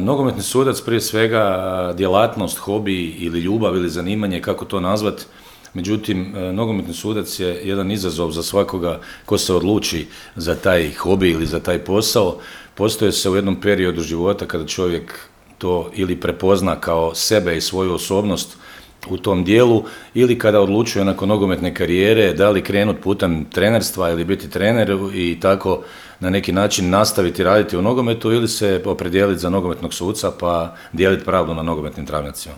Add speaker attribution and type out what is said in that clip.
Speaker 1: Nogometni sudac prije svega djelatnost, hobi ili ljubav ili zanimanje, kako to nazvat. Međutim, nogometni sudac je jedan izazov za svakoga ko se odluči za taj hobi ili za taj posao. Postoje se u jednom periodu života kada čovjek to ili prepozna kao sebe i svoju osobnost u tom dijelu, ili kada odlučuje nakon nogometne karijere da li krenuti putem trenerstva ili biti trener i tako na neki način nastaviti raditi u nogometu, ili se opredijeliti za nogometnog suca pa dijeliti pravdu na nogometnim travnjacima.